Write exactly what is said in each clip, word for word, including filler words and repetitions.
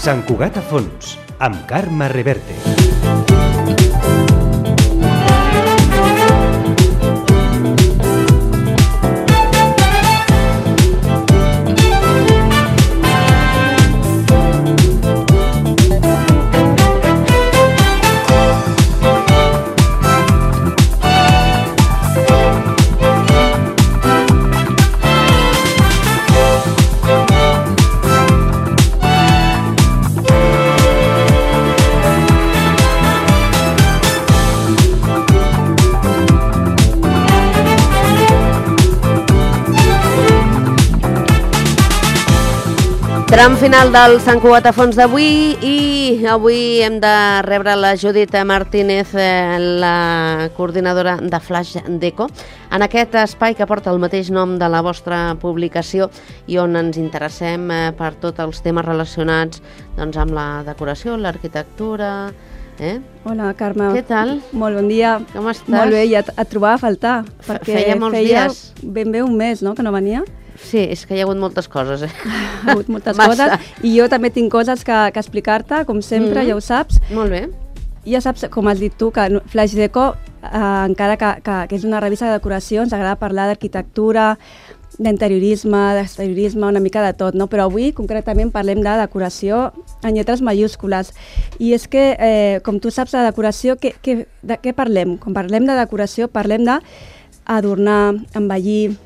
Sant Cugat a fons, amb Carme Reverte. Tram final del Sant Cugat a fons d'avui i avui hem de rebre la Judit Martínez, la coordinadora de Flash Deco, en aquest espai que porta el mateix nom de la vostra publicació i on ens interessem per tots els temes relacionats doncs, amb la decoració, l'arquitectura. Eh? Hola, Carme. Què tal? Molt bon dia. Com estàs? Molt bé, ja et, et trobava a faltar. Perquè feia molts feia dies. Ben bé un mes, no?, que no venia. Sí, és que hi ha hagut moltes coses. Eh? Ha hagut moltes coses i jo també tinc coses que, que explicar-te, com sempre, mm-hmm. ja ho saps. Molt bé. Ja saps, com has dit tu, que Flash Deco, eh, encara que, que, que és una revista de decoració, ens agrada parlar d'arquitectura, d'interiorisme, d'exteriorisme, una mica de tot, no? Però avui, concretament, parlem de decoració en lletres majúscules. I és que, eh, com tu saps, de decoració, que, que, de què parlem? Quan parlem de decoració, parlem d'adornar, embellir,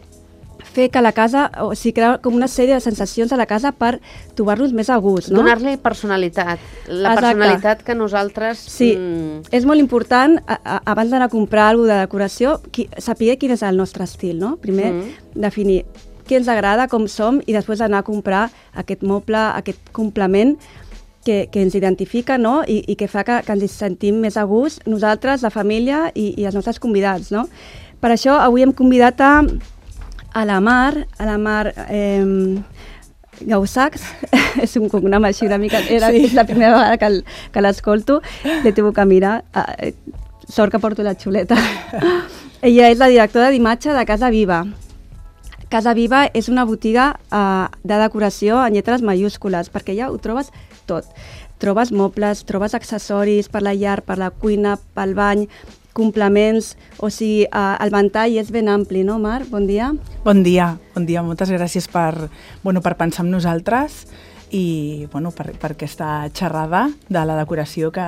fer que la casa, o sigui, crear com una sèrie de sensacions a la casa per trobar-nos més a gust, no? Donar-li personalitat, la Exacte. Personalitat que nosaltres... Sí, mm... és molt important, a, a, abans d'anar a comprar alguna de decoració, qui, saber quin és el nostre estil, no? Primer, mm. definir què ens agrada, com som, i després anar a comprar aquest moble, aquest complement que, que ens identifica, no? I, i que fa que, que ens sentim més a gust, nosaltres, la família i, i els nostres convidats, no? Per això avui hem convidat a a la Mar, a la Mar eh, Gaussacs, és un cognom així una mica, era, sí. És la primera vegada que, que l'escolto, l'he tingut que mirar, eh, sort que porto la xuleta. Ella és la directora d'imatge de Casa Viva. Casa Viva és una botiga eh, de decoració en lletres majúscules, perquè ja ho trobes tot. Trobes mobles, trobes accessoris per la llar, per la cuina, pel bany, complements, o sigui, uh, el ventall és ben ampli, no, Mar? Bon dia. Bon dia, bon dia. Moltes gràcies per, bueno, per pensar en nosaltres i bueno, per, per aquesta xerrada de la decoració que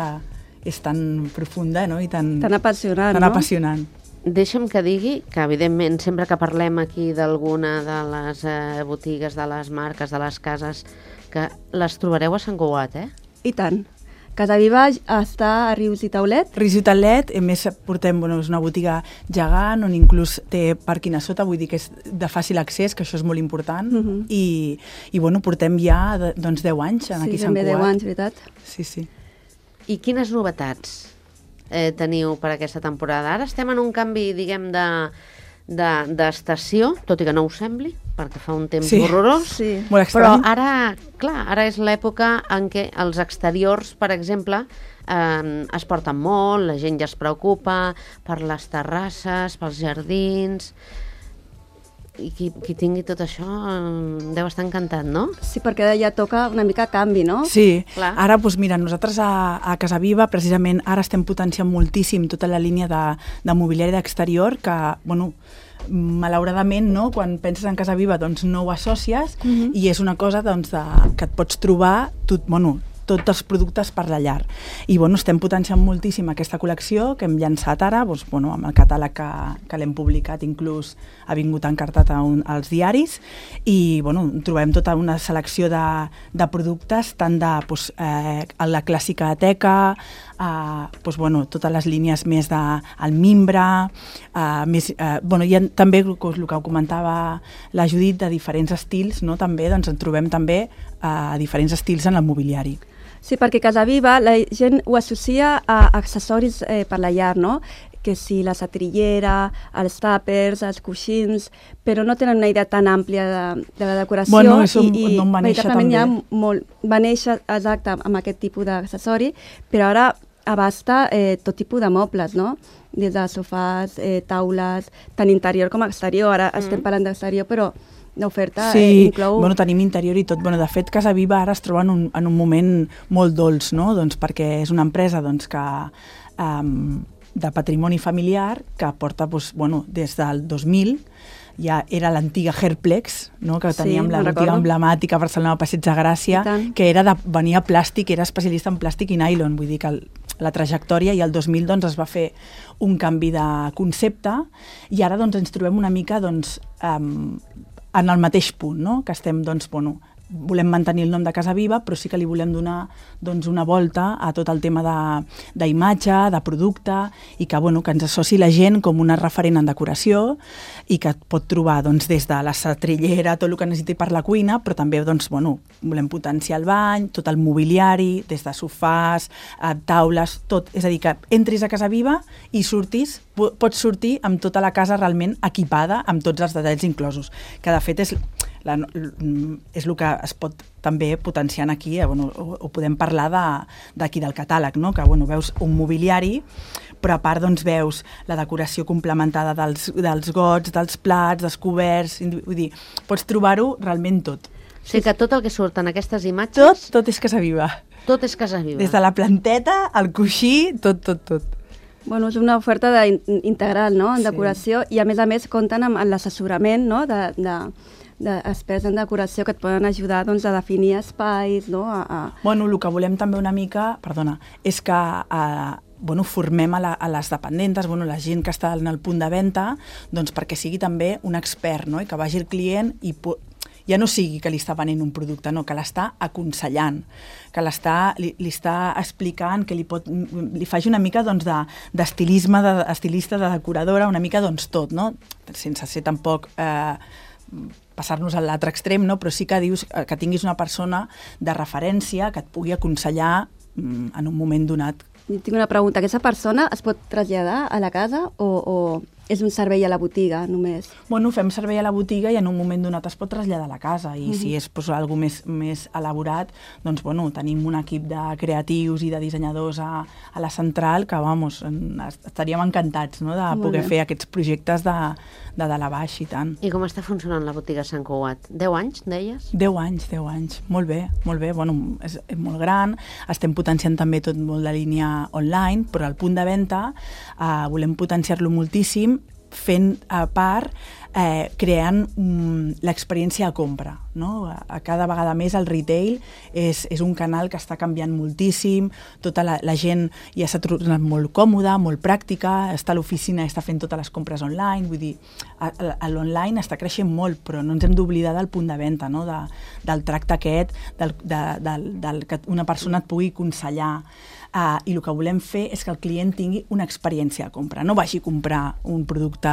és tan profunda, no? I tan, tan apassionant, tan no? apassionant. Deixa'm que digui que, evidentment, sempre que parlem aquí d'alguna de les eh, botigues, de les marques, de les cases, que les trobareu a Sant Cugat, eh? I tant. Casa Viva està a Rius i Taulet? Rius i Taulet, a més portem, bueno, és una botiga gegant on inclús té pàrquing a sota, vull dir que és de fàcil accés, que això és molt important, uh-huh. i, i bueno, portem ja de, doncs deu anys en sí, aquí a Sant Cugat. Sí, també deu anys, veritat. Sí, sí. I quines novetats eh, teniu per aquesta temporada? Ara estem en un canvi, diguem, de d'estació, de, tot i que no ho sembli, perquè fa un temps sí. horrorós, sí. però ara, clar, ara és l'època en què els exteriors, per exemple, eh, es porten molt, la gent ja es preocupa per les terrasses, pels jardins, i qui, qui tingui tot això eh, deu estar encantat, no? Sí, perquè ja toca una mica canvi, no? Sí, clar. Ara, doncs mira, nosaltres a, a Casa Viva, precisament, ara estem potenciant moltíssim tota la línia de, de mobiliari d'exterior, que, bueno, malauradament, no? Quan penses en Casa Viva, doncs no ho associes, uh-huh. i és una cosa doncs, de, que et pots trobar tot, bueno, tots els productes per la llar. I bueno, estem potenciant moltíssim aquesta col·lecció que hem llançat ara, doncs, bueno, amb el catàleg que, que l'hem publicat, inclús ha vingut encartat a un, als diaris, i bueno, trobem tota una selecció de, de productes, tant de doncs, eh, la clàssica teca, eh, doncs, bueno, totes les línies més de el mimbre, eh, més, eh, bueno, hi ha també el que ho comentava la Judit, de diferents estils, no? També doncs, en trobem també eh, diferents estils en el mobiliari. Sí, perquè Casa Viva la gent ho associa a accessoris eh, per la llar, no? Que si la setrillera, els tàpers, els coixins, però no tenen una idea tan àmplia de, de la decoració. Bueno, això i, i no va néixer també. Hi ha molt, va néixer, exacte, amb aquest tipus d'accessori, però ara abasta eh, tot tipus de mobles, no? Des de sofàs, eh, taules, tant interior com exterior. Ara mm. estem parlant d'exterior, però d'oferta sí, eh, inclou... bueno, tenim interior i tot. Bueno, de fet, Casa Viva ara es troba en un, en un moment molt dolç, no? Doncs perquè és una empresa doncs, que, um, de patrimoni familiar que porta doncs, bueno, des del dos mil, ja era l'antiga Herplex, no? Que teníem Sí, la me'n botiga recordo. emblemàtica a Barcelona Passeig de Gràcia, que era de, venia plàstic, era especialista en plàstic i nylon, vull dir que el, la trajectòria, i el dos mil doncs, es va fer un canvi de concepte i ara doncs, ens trobem una mica doncs, um, en el mateix punt, no? Que estem, doncs, bueno, volem mantenir el nom de Casa Viva, però sí que li volem donar doncs, una volta a tot el tema d'imatge, de, de producte, i que, bueno, que ens associ la gent com una referent en decoració i que et pot trobar doncs, des de la setrillera, tot el que necessiti per la cuina, però també doncs, bueno, volem potenciar el bany, tot el mobiliari, des de sofàs, eh, taules, tot. És a dir, que entris a Casa Viva i surtis, pots sortir amb tota la casa realment equipada, amb tots els detalls inclosos, que de fet és... La, és el que es pot també potenciar aquí, eh, bueno, o, o podem parlar d'aquí de, del catàleg, no? Que bueno, veus un mobiliari, però a part doncs, veus la decoració complementada dels, dels gots, dels plats, dels coberts, vull dir, pots trobar-ho realment tot. O sigui que tot el que surt en aquestes imatges... Tot, tot és Casa Viva. Tot és Casa Viva. Des de la planteta, el coixí, tot, tot, tot. Bueno, és una oferta de, integral, no?, en Sí. decoració, i a més a més compten amb, amb l'assessorament, no?, de... de d'experts en decoració que et poden ajudar doncs, a definir espais, no? A, a... Bueno, el que volem també una mica, perdona, és que eh, bueno, formem a, la, a les dependentes, bueno, la gent que està en el punt de venda, doncs perquè sigui també un expert, no? I que vagi el client i ja no sigui que li està venent un producte, no, que l'està aconsellant, que l'està, li, li està explicant, que li, pot, li faci una mica doncs, d'estilisme, de, estilista, de decoradora, una mica doncs, tot, no? Sense ser tampoc... Eh, passar-nos a l'altre extrem, no? Però sí que dius que tinguis una persona de referència que et pugui aconsellar mm, en un moment donat. I tinc una pregunta. Aquesta persona es pot traslladar a la casa o, o és un servei a la botiga només? Bueno, fem servei a la botiga i en un moment donat es pot traslladar a la casa i uh-huh. si és pues, alguna més, més elaborat, doncs bueno, tenim un equip de creatius i de dissenyadors a, a la central que, vamos, estaríem encantats, no?, de Molt poder bé. fer aquests projectes de, de dalt a baix i tant. I com està funcionant la botiga Sant Cugat? Deu anys, deies? Deu anys, deu anys. Molt bé, molt bé. Bueno, és, és molt gran. Estem potenciant també tot molt la línia online, però al punt de venda eh, volem potenciar-lo moltíssim fent a part, eh, creant um, l'experiència de compra. No? A, a cada vegada més el retail és, és un canal que està canviant moltíssim, tota la, la gent ja s'ha tornat molt còmoda, molt pràctica, està a l'oficina i està fent totes les compres online, vull dir, l'online està creixent molt, però no ens hem d'oblidar del punt de venda, no? de, del tracte aquest, del, de, del, del que una persona et pugui aconsellar. Uh, I el que volem fer és que el client tingui una experiència de compra, no vagi a comprar un producte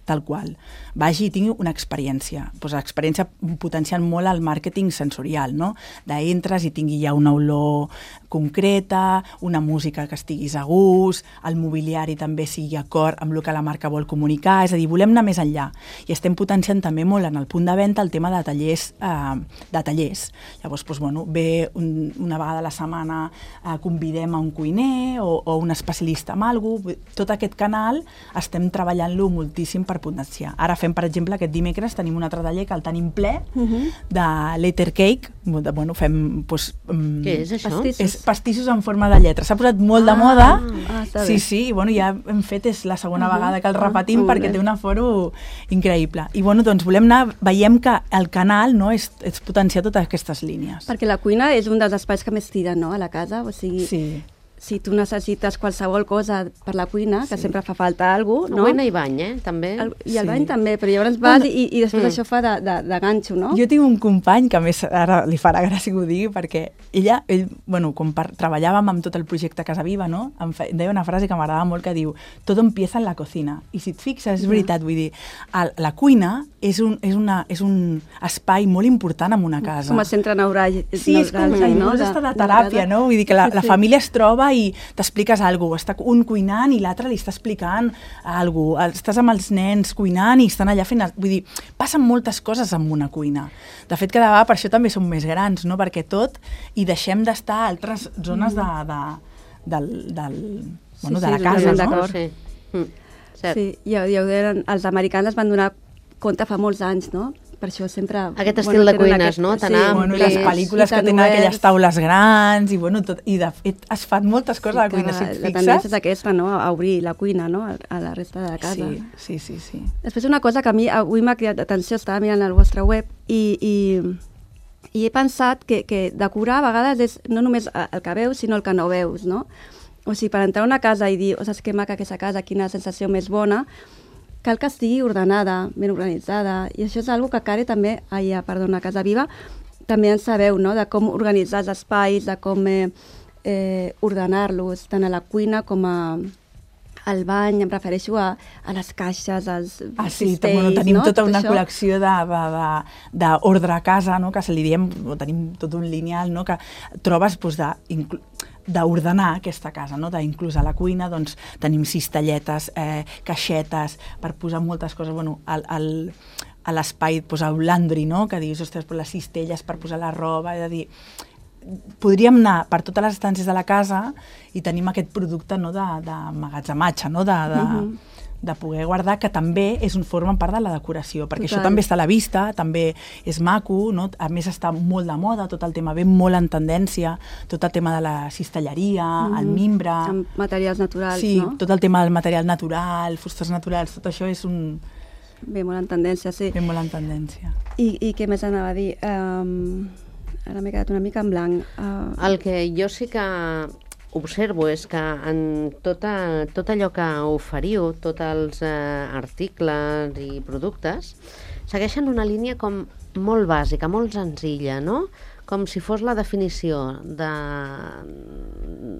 tal qual, vagi i tingui una experiència. Pues l'experiència potenciant molt el màrqueting sensorial, no? D'entres i tingui ja una olor concreta, una música que estiguis a gust, el mobiliari també sigui acord amb el que la marca vol comunicar, és a dir, volem anar més enllà. I estem potenciant també molt en el punt de venda el tema de tallers. Eh, de tallers. Llavors, pues, bueno, ve un, una vegada a la setmana eh, convidem a un cuiner o, o un especialista en alguna cosa. Tot aquest canal estem treballant-lo moltíssim per potenciar. Ara fem, per exemple, aquest dimecres tenim un altre taller que el tenim ple uh-huh. de letter cake. De, bueno, fem... Pues, um, Què és això? Pastissos. És pastissos en forma de lletra. S'ha posat molt ah, de moda. Ah, està sí, bé. sí, i bueno, ja hem fet, és la segona uh-huh. vegada que el repetim Ah, perquè bé. té un aforo increïble. I bueno, doncs volem anar, veiem que el canal no, és, és potenciar totes aquestes línies. Perquè la cuina és un dels espais que més tiren, no?, a la casa, o sigui... Sí. Si tu necessites qualsevol cosa per la cuina, que sí. sempre fa falta alguna cosa, no? Cuina i bany, eh? També. El, I el Sí. bany també, però llavors vas Bueno, i, i després mm. això fa de, de, de ganxo, no? Jo tinc un company que a més ara li farà gràcia que ho digui perquè ella, ell, bueno, quan par treballàvem amb tot el projecte Casa Viva, no? Em, fe, em deia una frase que m'agradava molt que diu tot empieza en la cocina. I si et fixes, és veritat, vull dir, el, la cuina és un, és, una, és un espai molt important en una casa. Com a centre neuràgic. Sí, és com neuràgic, no? De- Està de de teràpia, casa. no? Vull dir que la, Sí, la sí. família es troba i t'expliques alguna cosa. Està un cuinant i l'altre li està explicant alguna cosa. Estàs amb els nens cuinant i estan allà fent... Vull dir, passen moltes coses en una cuina. De fet, cada vegada per això també som més grans, no? Perquè tot i deixem d'estar a altres zones de, de, del, del, bueno, Sí, de la sí, casa, totalment no? d'acord. Sí. Mm. Cert. Sí, ja, ja ho deien, els americans es van donar compte fa molts anys, no? per això sempre... Aquest estil de cuines, no? Tan amplis. Bueno, les pel·lícules que tenen aquelles taules grans i, bueno, tot, i de fet es fan moltes coses a la cuina, si et fixes. La tendència és aquesta, no? A obrir la cuina, no? A la resta de la casa. Sí, sí, sí, sí. Després una cosa que a mi avui m'ha cridat atenció, estava mirant el vostre web i, i, i he pensat que, que decorar a vegades és no només el que veus, sinó el que no veus, no? O sigui, per entrar a una casa i dir, ostres, que maca aquesta casa, quina sensació més bona, cal que estigui ordenada, ben organitzada, i això és una cosa que Care també, ai, perdona, Casa Viva, també en sabeu, no?, de com organitzar els espais, de com eh, eh, ordenar-los, tant a la cuina com a, al bany, em refereixo a, a les caixes, als ah, sí, cistells, bueno, tenim no? tota Tot una això. col·lecció d'ordre a casa, no?, que se li diem, o tenim tot un lineal, no?, que trobes doncs, de... d'ordenar aquesta casa, no? Inclús a la cuina doncs, tenim cistelletes, eh, caixetes, per posar moltes coses, bueno, al, al, a l'espai, doncs, el laundry, no? Que dius, ostres, les cistelles per posar la roba, és a dir, podríem anar per totes les estàncies de la casa i tenim aquest producte, no? de, de magatzematge, no? de, de, uh-huh. de poder guardar, que també és un forma part de la decoració, perquè Total. Això també està a la vista, també és maco, no? A més està molt de moda, tot el tema ve molt en tendència, tot el tema de la cistelleria, mm. el mimbre... Amb materials naturals, sí, no? Sí, tot el tema del material natural, fustes naturals, tot això és un... Ve molt en tendència, sí. Ve molt en tendència. I, i què més anava a dir? Um, ara m'he quedat una mica en blanc. Uh... El que jo sí que observo és que en tota, tot allò que oferiu, tots els eh, articles i productes, segueixen una línia com molt bàsica, molt senzilla, no? Com si fos la definició de...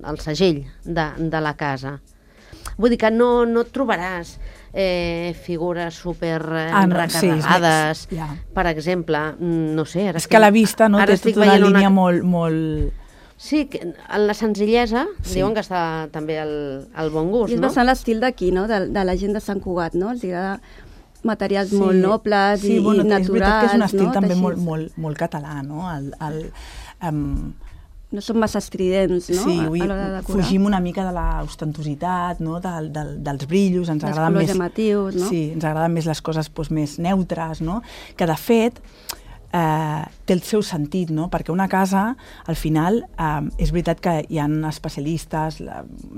el segell de, de la casa. Vull dir que no, no et trobaràs eh, figures super eh, ah, no, recarregades, sí, yeah. per exemple, no sé... Ara és que a la vista no, té tota una línia una... molt... molt... Sí, en la senzillesa, sí. diuen que està també el, el bon gust, I és no? bastant l'estil d'aquí, no? De, de la gent de Sant Cugat, no? Els agrada materials sí. molt nobles sí, i, bueno, i naturals, és veritat que és un estil no? també molt, molt, molt català, no? El, el, um... no són massa estridents, no? Sí, a, a l'hora de decorar. Fugim una mica de l'ostentositat, no? Del, del, dels brillos, ens dels agraden colors més... llamatius, no? Sí, ens agraden més les coses doncs, més neutres, no? Que de fet... Eh, té el seu sentit, no? Perquè una casa, al final, eh, és veritat que hi ha especialistes,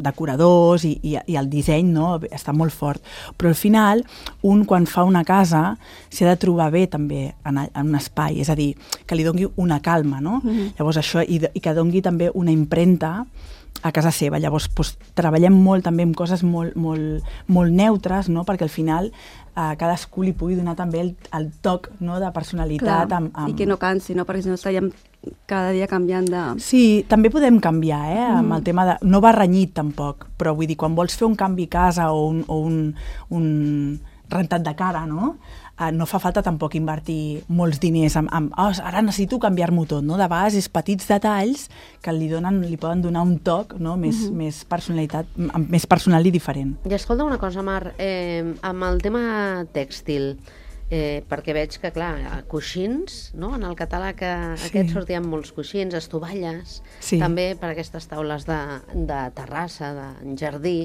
decoradors i, i, i el disseny, no? Està molt fort, però al final un quan fa una casa s'ha de trobar bé també en, en un espai, és a dir, que li doni una calma, no? Mm-hmm. Llavors això, i, i que doni també una impremta a casa seva. Llavors doncs, treballem molt també amb coses molt, molt, molt neutres, no? Perquè al final a cadascú li pugui donar també el, el toc, no? De personalitat. Clar, amb, amb... i que no cansi, no? Perquè si no estaríem cada dia canviant de... Sí, també podem canviar, eh? Mm. Amb el tema de... No va renyit tampoc, però vull dir, quan vols fer un canvi a casa o un, o un, un rentat de cara, no? Uh, no fa falta tampoc invertir molts diners en, en oh, ara necessito canviar-m'ho tot, no? De vegades és petits detalls que li, donen, li poden donar un toc, no? Més, mm-hmm. més personalitat, més personal i diferent. I escolta una cosa, Mar, eh, amb el tema tèxtil, eh, perquè veig que, clar, coixins, no? En el catàleg sí. aquest sortien molts coixins, estovalles, sí. també per aquestes taules de, de terrassa, de jardí.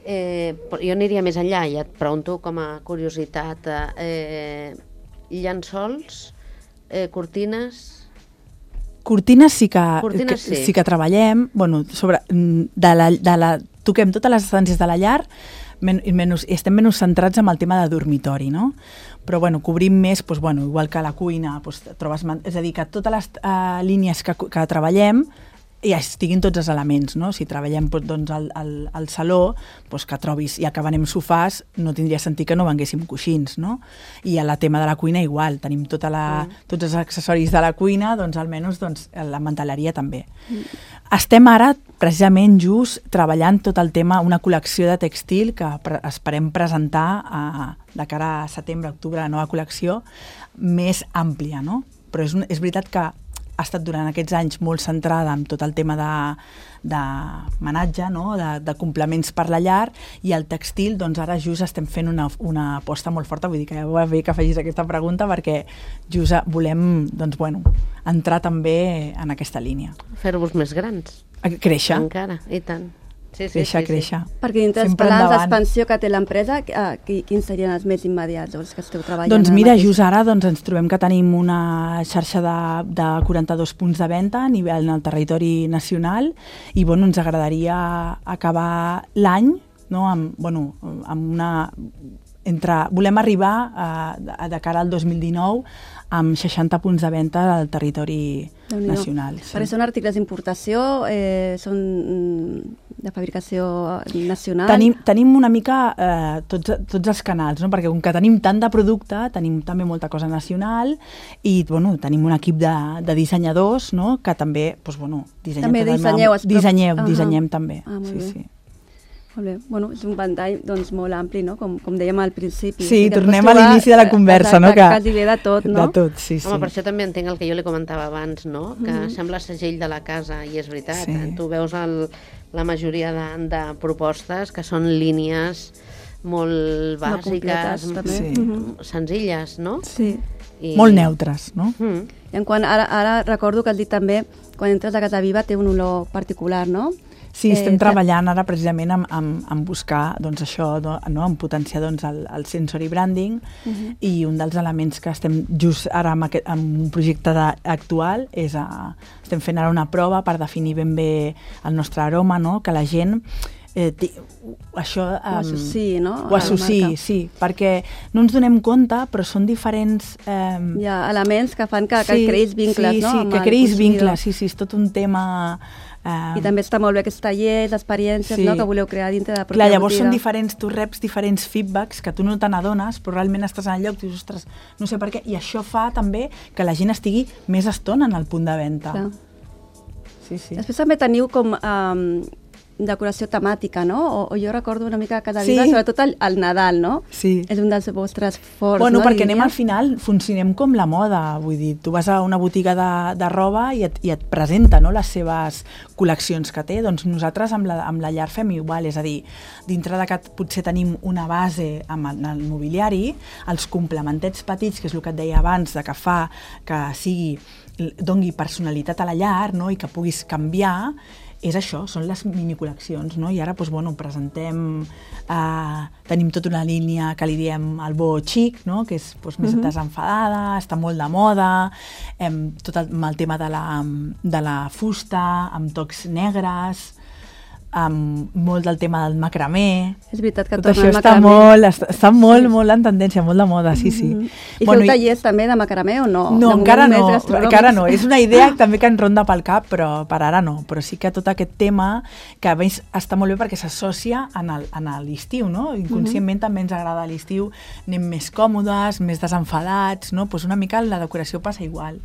Eh, jo aniria més enllà i et pregunto com a curiositat, eh, llençols, eh, cortines... Cortines sí que, cortines, que, sí. sí que treballem, bueno, sobre, de la, de la, toquem totes les estàncies de la llar, men, menys, estem menys centrats en el tema de dormitori, no? Però bueno, cobrim més, doncs, bueno, igual que a la cuina, doncs, trobes, és a dir, que totes les uh, línies que, que treballem ja estiguin tots els elements, no? Si treballem doncs, al, al, al saló, doncs que trobis, ja que venem sofàs, no tindria sentit que no venguéssim coixins, no? I a la tema de la cuina igual, tenim tota la, mm. tots els accessoris de la cuina, doncs almenys doncs, la manteleria també. Mm. Estem ara, precisament, just treballant tot el tema, una col·lecció de textil que pre esperem presentar a, de cara a setembre, octubre, la nova col·lecció, més àmplia, no? Però és, un, és veritat que ha estat durant aquests anys molt centrada en tot el tema de, de menatge, no? de, de complements per la llar, i el textil, doncs ara just estem fent una, una aposta molt forta, vull dir que ja va bé que facis aquesta pregunta, perquè just volem doncs, bueno, entrar també en aquesta línia. Fer-vos més grans. Créixer. Encara, i tant. Sí, sí, créixer, sí, sí. créixer. Perquè dintre dels Sempre plans endavant. d'expansió que té l'empresa, eh, qui- quins serien els més immediats, els que esteu treballant? Doncs ara mira, mateix? just ara doncs, ens trobem que tenim una xarxa de, de quaranta-dos punts de venda a nivell en el territori nacional i bueno, ens agradaria acabar l'any, no, amb, bueno, amb una... Entre, volem arribar a, a, de cara al dos mil dinou amb seixanta punts de venda al territori Déu-n'hi-do. nacional. Sí. Perquè són articles d'importació, eh, són mm, de fabricació nacional? Tenim, tenim una mica eh, tots, tots els canals, no? Perquè com que tenim tant de producte, tenim també molta cosa nacional i bueno, tenim un equip de, de dissenyadors, no? Que també, doncs, bueno, dissenyem També tot el dissenyeu meu- els prop- dissenyem, Ah, dissenyem també. ah, molt sí, bé. sí. Molt bé. Bueno, és un ventall doncs, molt ampli, no? Com, com dèiem al principi. Sí, que tornem pots a trobar, l'inici de la conversa, exacte, no? Que, quasi bé de tot, no? De tot, sí, sí. Home, per això també entenc el que jo li comentava abans, no? Que Mhm. sembla segell de la casa, i és veritat. Sí. Tu veus el, la majoria de, de propostes que són línies molt Molt bàsiques, completes, també. Sí. Mhm. senzilles, no? Sí. I... Molt neutres, no? Mm. I en quant, ara, ara recordo que has dit també, quan entres a Casa Viva té un olor particular, no? Sí, estem Eh, treballant ara precisament en, en, en buscar doncs, això, no, no? En potenciar doncs, el, el sensory branding Mhm. i un dels elements que estem just ara amb, aquest, amb un projecte de, actual és a, estem fent ara una prova per definir ben bé el nostre aroma, no? Que la gent eh, té, això... Ho associï, no? Ho a la associï, marca. sí, perquè no ens donem compte, però són diferents... Eh, Hi ha elements que fan que, que creïs vincles, sí, no? Sí, amb que el creïs consumidor. vincles, sí, sí, és tot un tema... Eh, I també està molt bé aquests tallers, experiències, Sí. no? Que voleu crear dintre de la pròpia Clar, llavors botiga. són diferents, tu reps diferents feedbacks que tu no te n'adones, però realment estàs en el lloc i dius, ostres, no sé per què, i això fa també que la gent estigui més estona en el punt de venda. Clar. Sí, sí. Després també teniu com um, decoració temàtica, no? O, o jo recordo una mica Casa Sí. Viva, sobretot el, el Nadal, no? Sí. És un dels vostres forts, Bueno, no? perquè anem diria? al final, funcionem com la moda, vull dir, tu vas a una botiga de, de roba i et, i et presenta, no?, les seves col·leccions que té, doncs nosaltres amb la, amb la llar fem igual, és a dir, dintre de que potser tenim una base amb el, el mobiliari, els complementets petits, que és el que et deia abans, de que fa que sigui, dongui personalitat a la llar, no?, i que puguis canviar, és això, són les minicol·leccions, no? I ara, doncs, bueno, presentem, eh, tenim tota una línia que li diem el bo xic, no? Que és doncs, més Mhm. desenfadada, està molt de moda, em, tot el, amb el tema de la, de la fusta, amb tocs negres, amb molt del tema del macramé. És veritat que Tot torna això el està macramé. molt, està, està molt, molt en tendència, molt de moda, sí, sí. Mhm. I Bueno, feu tallers també de macramé o no? no, De encara moment no, més gastronòmics? encara no. És una idea també que ens ronda pel cap, però per ara no. Però sí que tot aquest tema, que a més està molt bé perquè s'associa en el- en l'estiu, no? Inconscientment també ens agrada l'estiu, anem més còmodes, més desenfadats, no? Pues una mica la decoració passa igual.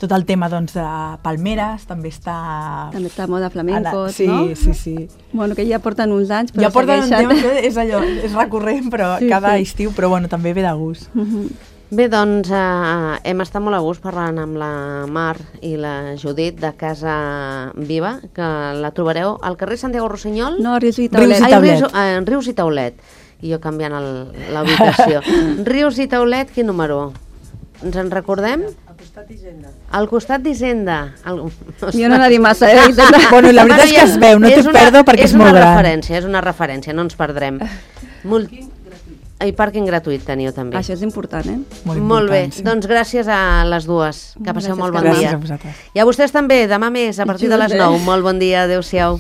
Tot el tema, doncs, de palmeres també està... També està a moda flamencos, sí, no? Sí, sí, Bueno, que ja porten uns anys, però Ja porten un segueixen. temps, que és allò, és recurrent, però Sí, cada sí. estiu, però bueno, també ve de gust. Mhm. Bé, doncs eh, hem estat molt a gust parlant amb la Mar i la Judit de Casa Viva, que la trobareu al carrer Santiago Rossinyol. No, Rius i Rius Taulet. i Ai, Taulet. Rius, eh, Rius i Taulet. I jo canviant el- la ubicació. Rius i Taulet, quin número? Ens en recordem? Al costat d'Hisenda. Al costat d'Hisenda. El... Jo no n'he dit massa, eh? Bueno, la veritat és que es veu, no t'ho perdo perquè és molt una gran. referència, és una referència, no ens perdrem. Molt... I pàrquing gratuït teniu també. Això és important, eh? Molt, Molt bé, important, sí. doncs gràcies a les dues. Que passeu Gràcies, molt bon Carme. Gràcies dia. a vosaltres. I a vostès també, demà més, a partir de les nou. Molt bon dia, adeu-siau.